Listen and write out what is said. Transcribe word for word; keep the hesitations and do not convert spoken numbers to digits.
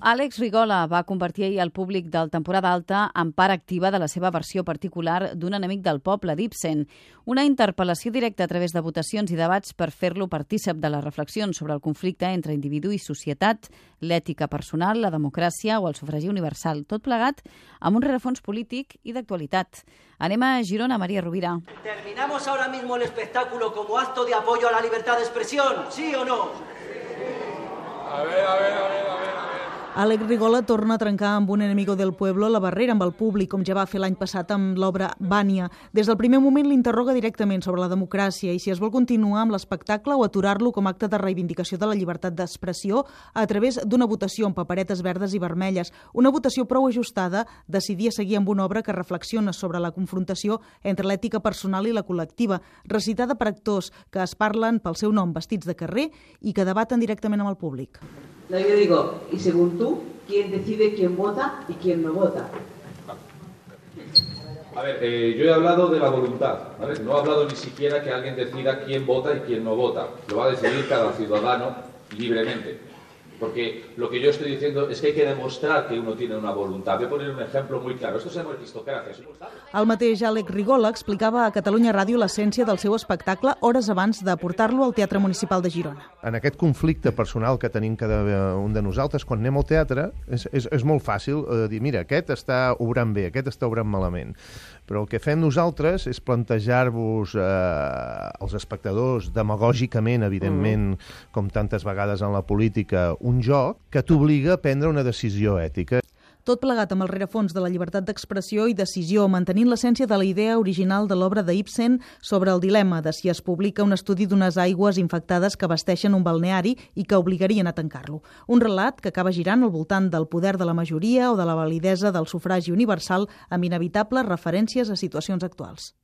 Àlex Rigola va convertir ahir el públic del Temporada Alta en part activa de la seva versió particular d'un enemic del poble d'Ibsen, una interpel·lació directa a través de votacions i debats per fer-lo partícip de les reflexions sobre el conflicte entre individu i societat, l'ètica personal, la democràcia o el sufragi universal, tot plegat amb un rerefons polític i d'actualitat. Anem a Girona, Maria Rovira. ¿Terminamos ahora mismo el espectáculo como acto de apoyo a la libertad de expresión, sí o no? A ver, a ver, a ver, a ver. Àlex Rigola torna a trencar amb un enemigo del pueblo la barrera amb el públic, com ja va fer l'any passat amb l'obra Vània. Des del primer moment l'interroga directament sobre la democràcia i si es vol continuar amb l'espectacle o aturar-lo com a acte de reivindicació de la llibertat d'expressió a través d'una votació amb paperetes verdes i vermelles. Una votació prou ajustada, decidir a seguir amb una obra que reflexiona sobre la confrontació entre l'ètica personal i la col·lectiva, recitada per actors que es parlen pel seu nom vestits de carrer i que debaten directament amb el públic. No, yo digo, y según tú, ¿quién decide quién vota y quién no vota? A ver, eh, yo he hablado de la voluntad, ¿vale? No he hablado ni siquiera que alguien decida quién vota y quién no vota. Lo va a decidir cada ciudadano libremente. Porque lo que yo estoy diciendo es que hay que demostrar que uno tiene una voluntad. Voy a poner un ejemplo muy claro. Esto es aristocracia. El mateix Àlex Rigola explicava a Catalunya Ràdio l'essència del seu espectacle hores abans de portar-lo al Teatre Municipal de Girona. En aquest conflicte personal que tenim cada un de nosaltres, quan anem al teatre, és, és, és molt fàcil eh, dir, mira, aquest està obrant bé, aquest està obrant malament. Però el que fem nosaltres és plantejar-vos eh, als espectadors, demagògicament, evidentment, mm. com tantes vegades en la política, un joc que t'obliga a prendre una decisió ètica. Tot plegat amb el rerefons de la llibertat d'expressió i decisió, mantenint l'essència de la idea original de l'obra d'Ibsen sobre el dilema de si es publica un estudi d'unes aigües infectades que abasteixen un balneari i que obligarien a tancar-lo. Un relat que acaba girant al voltant del poder de la majoria o de la validesa del sufragi universal amb inevitables referències a situacions actuals.